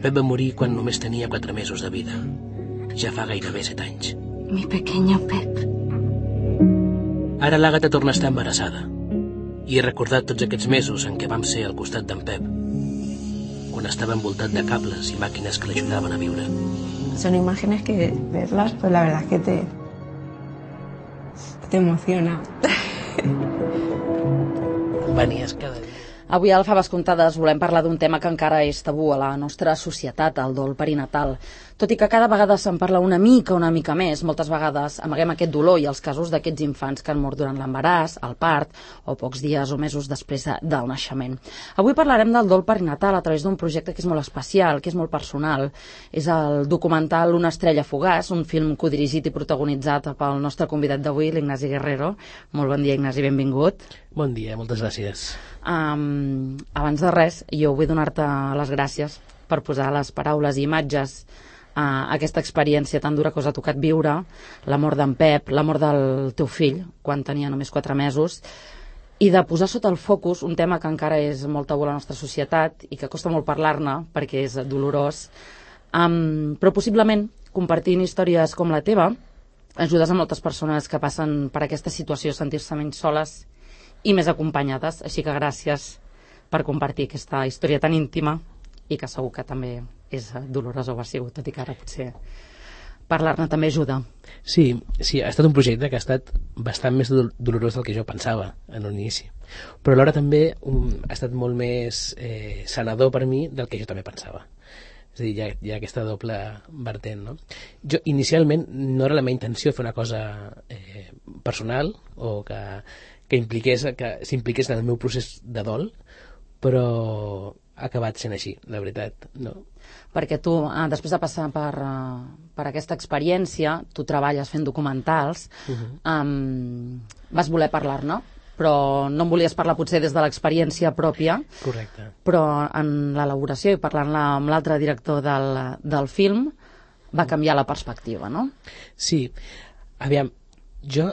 Pep va morir quan només tenia 4 mesos de vida. Ja fa gairebé 7 anys. Mi pequeño Pep. Ara l'Àgata torna a estar embarassada. I he recordat tots aquests mesos en què vam ser al costat d'en Pep, quan estava envoltat de cables i màquines que l'ajudaven a viure. Son imágenes que verlas, pues la verdad es que te emociona. Venies cada dia. Avui a Faves Comptades volem parlar d'un tema que encara és tabú a la nostra societat, el dol perinatal. Tot i que cada vegada se'n parla una mica més, moltes vegades amaguem aquest dolor i els casos d'aquests infants que han mort durant l'embaràs, el part o pocs dies o mesos després del naixement. Avui parlarem del dol perinatal a través d'un projecte que és molt especial, que és molt personal. És el documental Una estrella fugaç, un film codirigit i protagonitzat pel nostre convidat d'avui, l'Ignasi Guerrero. Molt bon dia, Ignasi, benvingut. Bon dia, moltes gràcies. Abans de res, jo vull donar-te les gràcies per posar les paraules i imatges a aquesta experiència tan dura que us ha tocat viure, la mort d'en Pep, la mort del teu fill, quan tenia només 4 mesos, i de posar sota el focus un tema que encara és molt tabú a la nostra societat i que costa molt parlar-ne perquè és dolorós, però possiblement compartint històries com la teva ajudes a moltes persones que passen per aquesta situació a sentir-se menys soles i més acompanyades, així que gràcies per compartir aquesta història tan íntima i que segur que també és dolorosa o ha sigut, tot i que ara potser parlar-ne també ajuda. Sí, ha estat un projecte que ha estat bastant més dolorós del que jo pensava en un inici, però alhora també ha estat molt més sanador per mi del que jo també pensava. És a dir, hi ha aquesta doble vertent, no? Jo inicialment no era la meva intenció fer una cosa personal o que s'impliqués en el meu procés de dol, però ha acabat sent així, la veritat, no? Perquè tu, després de passar per aquesta experiència, tu treballes fent documentals, vas voler parlar-ne, però no en volies parlar potser des de l'experiència pròpia. Correcte. Però en l'elaboració i parlant-la amb l'altre director del film va canviar la perspectiva, no? Sí. Aviam, jo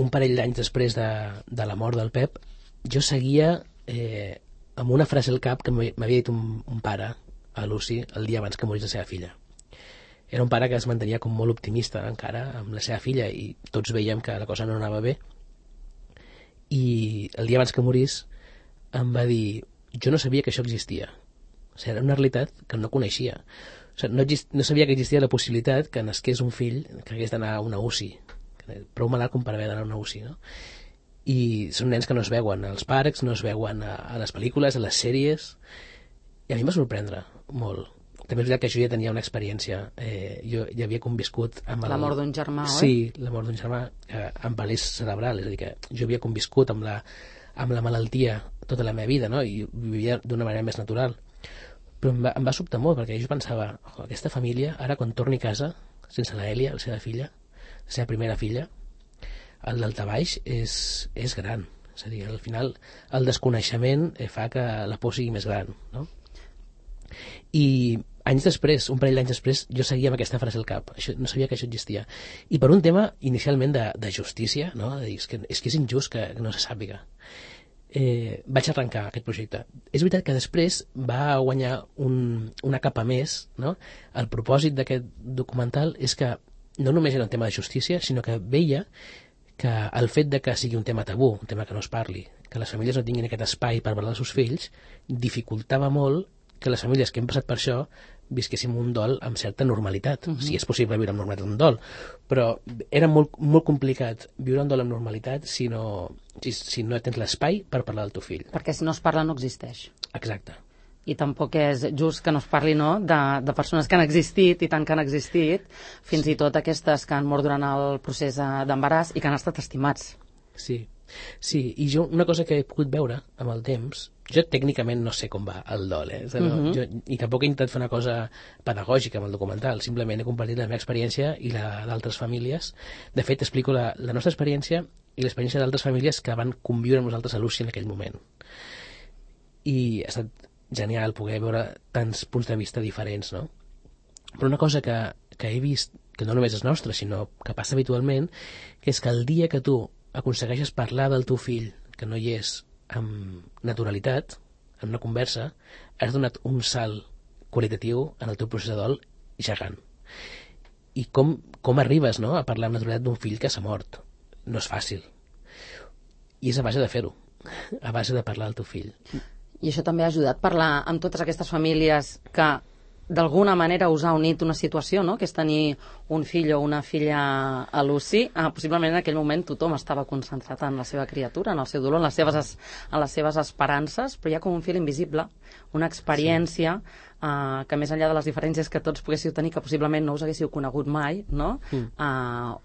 un parell d'anys després de la mort del Pep, jo seguia amb una frase al cap que m'havia dit un pare a Lucy el dia abans que morís la seva filla. Era un pare que es mantenia com molt optimista encara amb la seva filla i tots veiem que la cosa no anava bé, i el dia abans que morís em va dir: jo no sabia que això existia. O sigui, era una realitat que no coneixia. O sigui, no sabia que existia la possibilitat que nasqués un fill que hagués d'anar a una UCI, prou malalt com per haver d'anar a una UCI, no? I són nens que no es veuen als parcs, no es veuen a les pel·lícules, a les sèries, i a mi em va sorprendre molt. També és veritat que jo ja tenia una experiència, jo ja havia conviscut amb la mort d'un germà, oi? Sí, la mort d'un germà amb paràlisi cerebral, és a dir, que jo havia conviscut amb la malaltia tota la meva vida, no? I vivia d'una manera més natural, però em va sobtar molt, perquè jo pensava, aquesta família, ara quan torni a casa sense la Èlia, la seva filla, la seva primera filla, el daltabaix és gran. És a dir, al final el desconeixement fa que la por sigui més gran, no? I anys després, un parell d'anys després, jo seguia amb aquesta frase al cap. No sabia que això existia. I per un tema inicialment de justícia, no? De dir, és que és injust que no se sàpiga. Vaig arrencar aquest projecte. És veritat que després va guanyar una capa més, no? El propòsit d'aquest documental és que no només era un tema de justícia, sinó que veia que el fet de que sigui un tema tabú, un tema que no es parli, que les famílies no tinguin aquest espai per parlar dels seus fills, dificultava molt que les famílies que hem passat per això visquéssim un dol amb certa normalitat. Si és possible viure amb normalitat un dol, però era molt, molt complicat viure un dol amb normalitat si no tens l'espai per parlar del teu fill. Perquè si no es parla no existeix. Exacte. I tampoc és just que no es parli, no?, de persones que han existit i tant que han existit, fins i tot aquestes que han mort durant el procés d'embaràs i que han estat estimats. Sí, i jo una cosa que he pogut veure amb el temps, jo tècnicament no sé com va el dol, i tampoc he intentat fer una cosa pedagògica amb el documental, simplement he compartit la meva experiència i la d'altres famílies. De fet, explico la nostra experiència i l'experiència d'altres famílies que van conviure amb nosaltres a Lucy en aquell moment. I ha estat genial poder veure tants punts de vista diferents, no? Però una cosa que he vist, que no només és nostra, sinó que passa habitualment, que és que el dia que tu aconsegueixes parlar del teu fill, que no hi és, amb naturalitat, en una conversa, has donat un salt qualitatiu en el teu procés de dol gegant. I com arribes, no?, a parlar amb naturalitat d'un fill que s'ha mort. No és fàcil. I és a base de fer-ho, a base de parlar al teu fill. I això també ha ajudat a parlar amb totes aquestes famílies que d'alguna manera us ha unit una situació, no?, que és tenir un fill o una filla a l'UCI. Possiblement en aquell moment tothom estava concentrat en la seva criatura, en el seu dolor, en les seves esperances, però hi ha com un fil invisible, una experiència que més enllà de les diferències que tots poguéssiu tenir, que possiblement no us haguéssiu conegut mai, no?,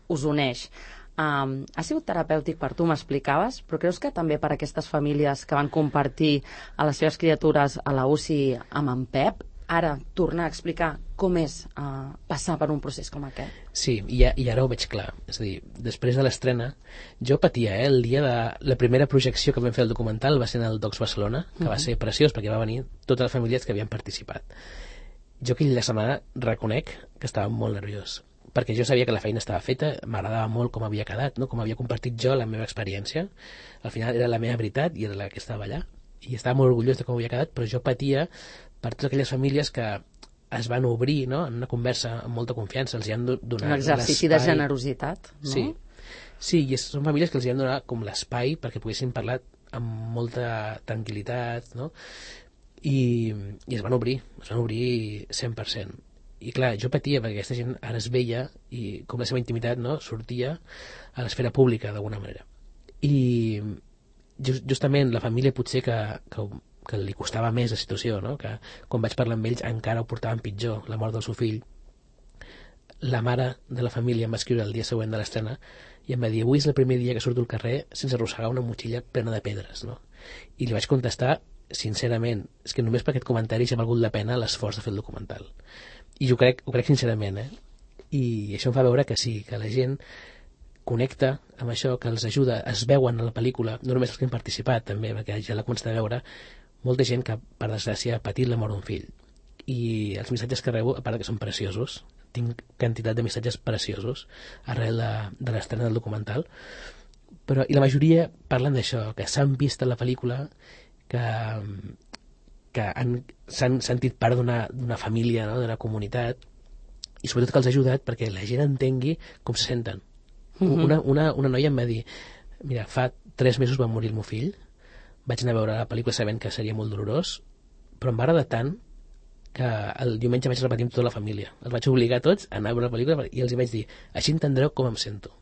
us uneix. Ha sigut terapèutic per tu, m'explicaves, però creus que també per aquestes famílies que van compartir a les seves criatures a la UCI amb en Pep, ara tornar a explicar com és passar per un procés com aquest? Sí, i ara ho veig clar. És a dir, després de l'estrena, jo patia, el dia de la primera projecció que vam fer el documental va ser en el Docs Barcelona, que va ser preciós perquè va venir totes les famílies que havien participat. Jo aquella setmana reconec que estava molt nerviós, perquè jo sabia que la feina estava feta, m'agradava molt com havia quedat, no?, com havia compartit jo la meva experiència. Al final era la meva veritat i era la que estava allà, i estava molt orgullós de com havia quedat, però jo patia per totes aquelles famílies que es van obrir, no?, en una conversa amb molta confiança, els hi han donat un exercici de generositat, no? Sí, i són famílies que els hi han donat com l'espai perquè poguessin parlar amb molta tranquil·litat, no?, i es van obrir 100%. I clar, jo patia perquè aquesta gent ara es veia i com la seva intimitat, no?, sortia a l'esfera pública d'alguna manera. I justament la família potser que li costava més la situació, no?, que quan vaig parlar amb ells encara ho portaven pitjor, la mort del seu fill. La mare de la família em va escriure el dia següent de l'estrena i em va dir: avui és el primer dia que surto al carrer sense arrossegar una motxilla plena de pedres, no? I li vaig contestar sincerament, és que només per aquest comentari ja ha valgut la pena l'esforç de fer el documental. I ho crec sincerament, I això em fa veure que sí, que la gent connecta amb això, que els ajuda, es veuen a la pel·lícula, no només els que han participat també, perquè ja l'ha començat a veure molta gent que per desgràcia ha patit la mort d'un fill, i els missatges que rebo, a part que són preciosos, tinc quantitat de missatges preciosos arrel de l'estrena del documental, però i la majoria parlen d'això, que s'han vist a la pel·lícula, que s'han sentit part d'una família, no?, d'una comunitat, i sobretot que els ha ajudat perquè la gent entengui com se senten. Una noia em va dir: mira, fa 3 mesos va morir el meu fill, vaig anar a veure la pel·lícula sabent que seria molt dolorós, però em va agradar tant que el diumenge vaig repetir amb tota la família. Els vaig obligar a tots a anar a veure la pel·lícula i els vaig dir: així entendreu com em sento.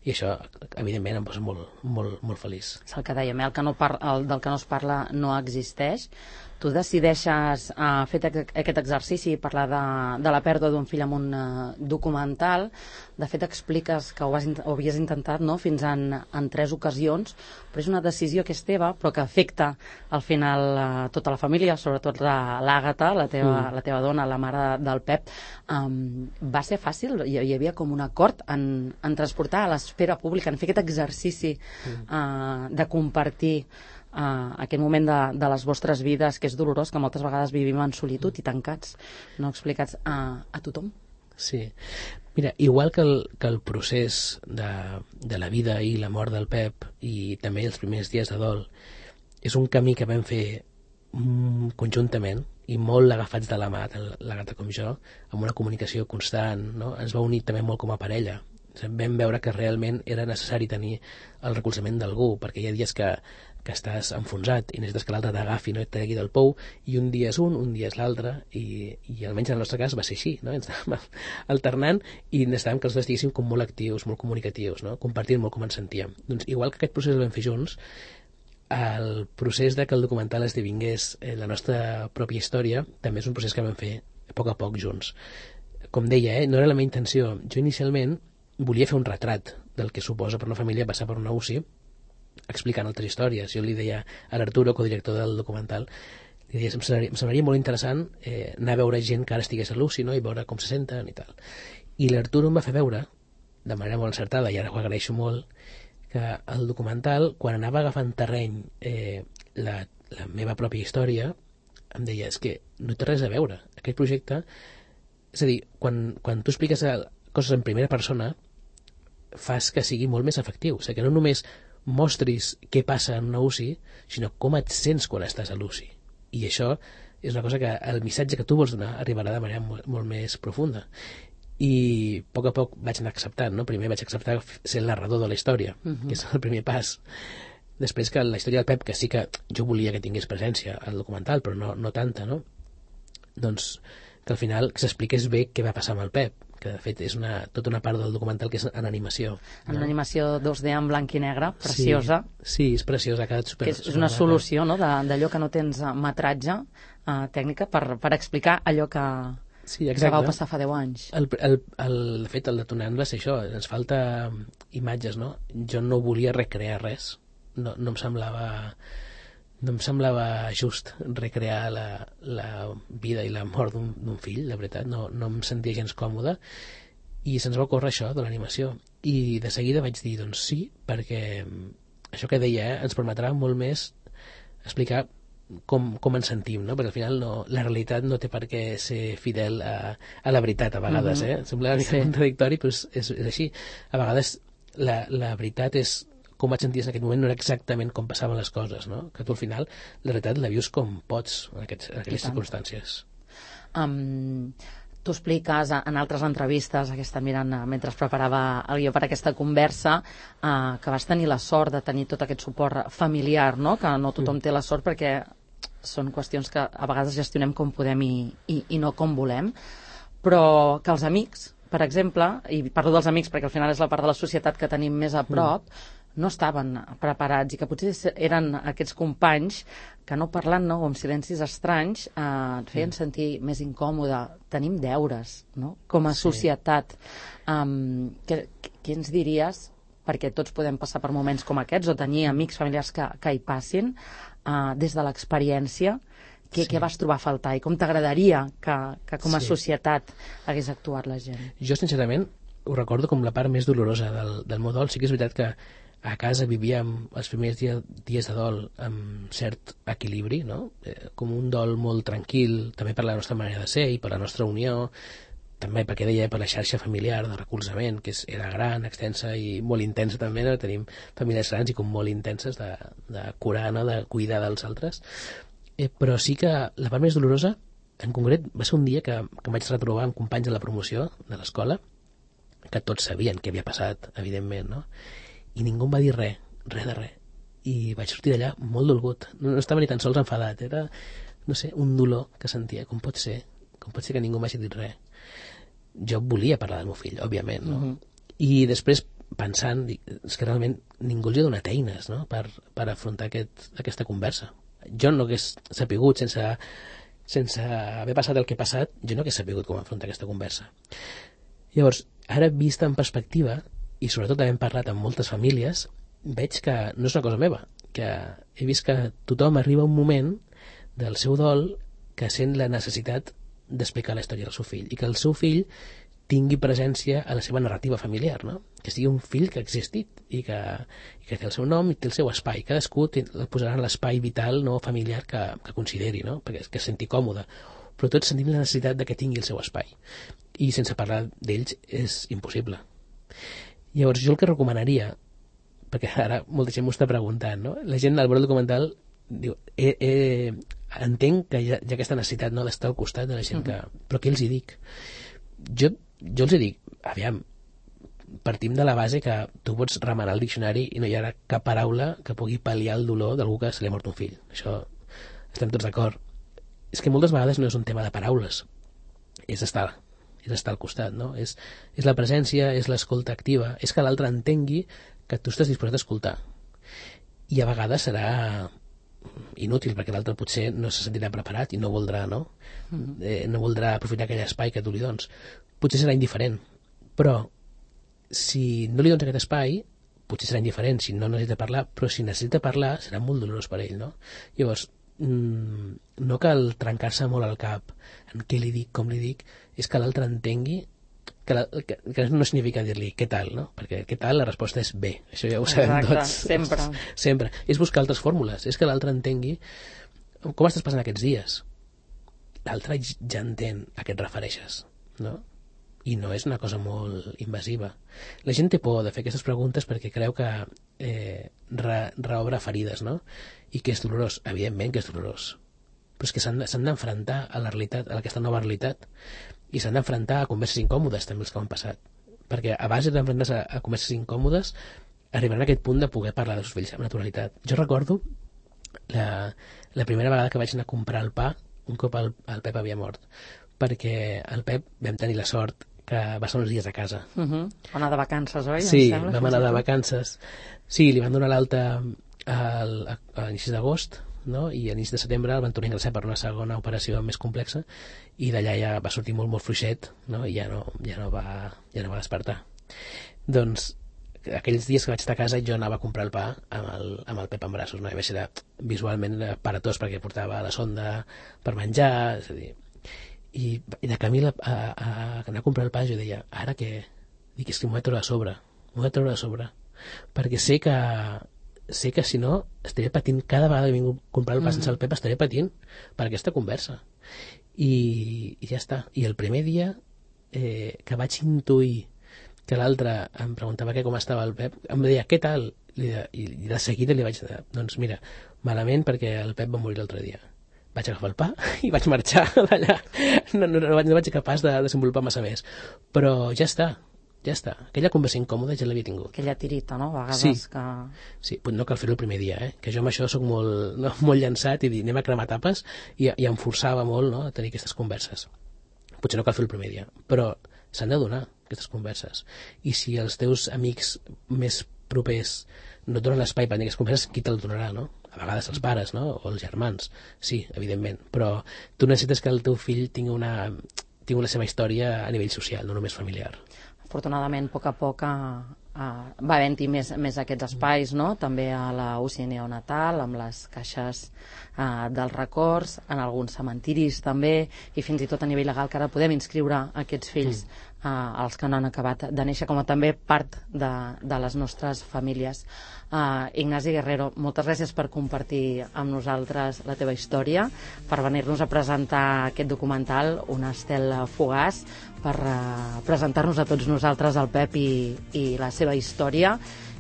I això, evidentment, em posa molt, molt, molt feliç. És el que dèiem, del que no es parla no existeix. Tu decideixes fer aquest exercici i parlar de la pèrdua d'un fill amb un documental. De fet, expliques que ho havies intentat, no?, fins en 3 ocasions, però és una decisió que és teva, però que afecta al final tota la família, sobretot l'Àgata, la teva dona, la mare del Pep. Va ser fàcil? Hi havia com un acord en transportar a l'esfera pública, en fer aquest exercici de compartir aquest moment de les vostres vides, que és dolorós, que moltes vegades vivim en solitud i tancats, no explicats a tothom? Sí. Mira, igual que el procés de la vida i la mort del Pep, i també els primers dies de dol, és un camí que vam fer conjuntament i molt agafats de la mà, tant l'Àgata com jo, amb una comunicació constant, no? Ens va unir també molt com a parella. Vam veure que realment era necessari tenir el recolzament d'algú, perquè hi ha dies que estàs enfonsat i necessites que l'altre t'agafi, no?, et tregui del pou, i un dia és un dia és l'altre, i almenys en el nostre cas va ser així, no? Ens anàvem alternant i necessitàvem que els dos estiguéssim com molt actius, molt comunicatius, no?, compartint molt com ens sentíem. Doncs igual que aquest procés el vam fer junts, el procés de que el documental esdevingués la nostra pròpia història també és un procés que vam fer a poc junts. Com deia, no era la meva intenció. Jo inicialment volia fer un retrat del que suposa per una família passar per una UCI explicant altres històries. Jo li deia a l'Arturo, codirector del documental, li deia, em semblaria molt interessant anar a veure gent que ara estigués a l'UCI, no?, i veure com se senten i tal. I l'Arturo em va fer veure, de manera molt encertada, i ara ho agraeixo molt, que el documental, quan anava agafant terreny la meva pròpia història, em deia, és que no té res a veure. Aquest projecte, és a dir, quan tu expliques coses en primera persona, fas que sigui molt més efectiu. O sigui, que no només mostris què passa en una UCI, sinó com et sents quan estàs a l'UCI. I això és una cosa que el missatge que tu vols donar arribarà de manera molt més profunda. I a poc vaig anar acceptant, no? Primer vaig acceptar ser el narrador de la història, que és el primer pas. Després que la història del Pep, que sí que jo volia que tingués presència al documental, però no tanta, no? Doncs que al final s'expliqués bé què va passar amb el Pep, que de fet és tota una part del documental que és en animació. En animació 2D en blanc i negre, preciosa. Sí, és preciosa, ha quedat super... Que és una solució, no?, d'allò que no tens metratge tècnica per explicar allò que vau passar fa 10 anys. De fet, el detonant va ser això, ens falta imatges, no? Jo no volia recrear res, no em semblava just recrear la vida i la mort d'un fill, la veritat, no em sentia gens còmode, i se'ns va ocórrer això de l'animació, i de seguida vaig dir, doncs sí, perquè això que deia, ens permetrà molt més explicar com ens sentim, no? Perquè al final la realitat no té per què ser fidel a la veritat a vegades, sembla una mica contradictori, però és així. A vegades la veritat és com et senties en aquest moment, no era exactament com passaven les coses, no? Que tu al final la realitat la vius com pots en aquelles circumstàncies. Tu expliques en altres entrevistes, que està mirant mentre es preparava el guió per aquesta conversa, que vas tenir la sort de tenir tot aquest suport familiar, no? Que no tothom té la sort perquè són qüestions que a vegades gestionem com podem i no com volem, però que els amics, per exemple, i parlo dels amics perquè al final és la part de la societat que tenim més a prop, no estaven preparats i que potser eren aquests companys que no parlant, no, o amb silencis estranys et feien sentir més incòmode. Tenim deures, no?, com a societat. Què ens diries, perquè tots podem passar per moments com aquests o tenir amics familiars que hi passin, des de l'experiència, què vas trobar a faltar i com t'agradaria que com a societat hagués actuat la gent? Jo sincerament ho recordo com la part més dolorosa del meu dol. Sí que és veritat que a casa vivíem els primers dies de dol amb cert equilibri, no? Com un dol molt tranquil, també per la nostra manera de ser i per la nostra unió, també perquè deia per la xarxa familiar de recolzament, que era gran, extensa i molt intensa també, no? Tenim famílies grans i com molt intenses de curar, no? De cuidar dels altres. Però sí que la part més dolorosa, en concret, va ser un dia que em vaig retrobar amb companys de la promoció de l'escola, que tots sabien què havia passat, evidentment, no? I ningú em va dir res de res. I vaig sortir d'allà molt dolgut. No estava ni tan sols enfadat, era, no sé, un dolor que sentia. Com pot ser que ningú m'hagi dit res? Jo volia parlar del meu fill, òbviament, no? I després, pensant, és que realment ningú els ha donat eines, no?, per afrontar aquesta conversa. Jo no hagués sapigut, sense haver passat el que he passat, jo no hagués sapigut com afrontar aquesta conversa. Llavors, ara vista en perspectiva, i sobretot havent parlat amb moltes famílies, veig que no és una cosa meva, que he vist que tothom arriba a un moment del seu dol que sent la necessitat d'explicar la història del seu fill, i que el seu fill tingui presència a la seva narrativa familiar, no? Que sigui un fill que ha existit i que té el seu nom i té el seu espai. Cadascú el posarà en l'espai vital, no, familiar que consideri, no? Perquè que es senti còmode. Però tots sentim la necessitat de que tingui el seu espai. I sense parlar d'ells és impossible. Llavors jo el que recomanaria, perquè ara molta gent m'ho està preguntant, no? La gent al veure el documental diu, entenc que hi ha aquesta necessitat, no?, d'estar al costat de la gent que... Però què els hi dic? Jo els hi dic, aviam, partim de la base que tu pots remenar el diccionari i no hi ha cap paraula que pugui pal·liar el dolor d'algú que se li ha mort un fill. Això estem tots d'acord. És que moltes vegades no és un tema de paraules, és estar al costat, no? És la presència, és l'escolta activa, és que l'altre entengui que tu estàs disposat a escoltar. I a vegades serà inútil, perquè l'altre potser no se sentirà preparat i no voldrà, no? No voldrà aprofitar aquell espai que tu li dones. Potser serà indiferent, però si no li dones aquest espai, potser serà indiferent, si no necessita parlar, però si necessita parlar serà molt dolorós per ell, no? Llavors, no cal trencar-se molt al cap en què li dic, com li dic, és que l'altre entengui que no significa dir-li què tal, no? Perquè què tal la resposta és bé, això ja ho sabem tots. Sempre. És buscar altres fórmules, és que l'altre entengui com estàs passant aquests dies. L'altre ja entén a què et refereixes, no? I no és una cosa molt invasiva. La gent té por de fer aquestes preguntes perquè creu que reobre ferides, no? I que és dolorós. Evidentment que és dolorós. però és que s'han d'enfrontar a la realitat, a aquesta nova realitat, i s'han d'enfrontar a converses incòmodes també els que han passat, perquè a base d'enfrontar-se a converses incòmodes arribaran a aquest punt de poder parlar dels fills amb naturalitat. Jo recordo la primera vegada que vaig anar a comprar el pa un cop el Pep havia mort, perquè el Pep vam tenir la sort que va estar uns dies a casa. Va anar de vacances, oi? Sí, vam anar de vacances. Sí, li van donar l'alta a l'inici d'agost, no? I a l'inici de setembre el van tornar a ingressar per una segona operació més complexa i d'allà ja va sortir molt, molt fluixet, no? I ja no va despertar. Doncs aquells dies que vaig estar a casa jo anava a comprar el pa amb el Pep en braços, no? I vaig ser visualment paratós perquè portava la sonda per menjar, és a dir, i de camí a anar a comprar el pa jo deia, ara què? Dic, és que m'ho he de treure a sobre, perquè sé que si no estaré patint cada vegada que vinc a comprar el pa sense el Pep, estaré patint per aquesta conversa i ja està. I el primer dia que vaig intuir que l'altre em preguntava com estava el Pep, em deia, què tal? I de seguida li vaig dir, doncs mira, malament perquè el Pep va morir l'altre dia. Vaig agafar el pa i vaig marxar d'allà. No vaig ser capaç de desenvolupar massa més. Però ja està. Aquella conversa incòmoda ja l'havia tingut. Aquella tirita, no? A vegades que... Sí, no cal fer-ho el primer dia, que jo amb això soc molt llançat i dir, anem a cremar tapes, i em forçava molt, no?, a tenir aquestes converses. Potser no cal fer el primer dia, però s'han de donar aquestes converses. I si els teus amics més propers no et donen l'espai per tenir aquestes converses, qui te'l donarà, no? A vegades els pares, no?, o els germans. Sí, evidentment, però tu necessites que el teu fill tingui la seva història a nivell social, no només familiar. Afortunadament, a poc a poc va havent-hi més aquests espais, no? També a la UCI neonatal, amb les caixes dels records, en alguns cementiris també, i fins i tot a nivell legal que ara podem inscriure aquests fills els que no han acabat de néixer, com a també part de les nostres famílies. Ignasi Guerrero, moltes gràcies per compartir amb nosaltres la teva història, per venir-nos a presentar aquest documental, Una estel fugaç, per presentar-nos a tots nosaltres el Pep i la seva història,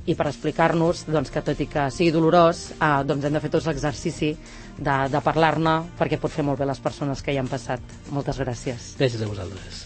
i per explicar-nos que tot i que sigui dolorós, hem de fer tots l'exercici de parlar-ne, perquè pot fer molt bé les persones que hi han passat. Moltes gràcies. Gràcies a vosaltres.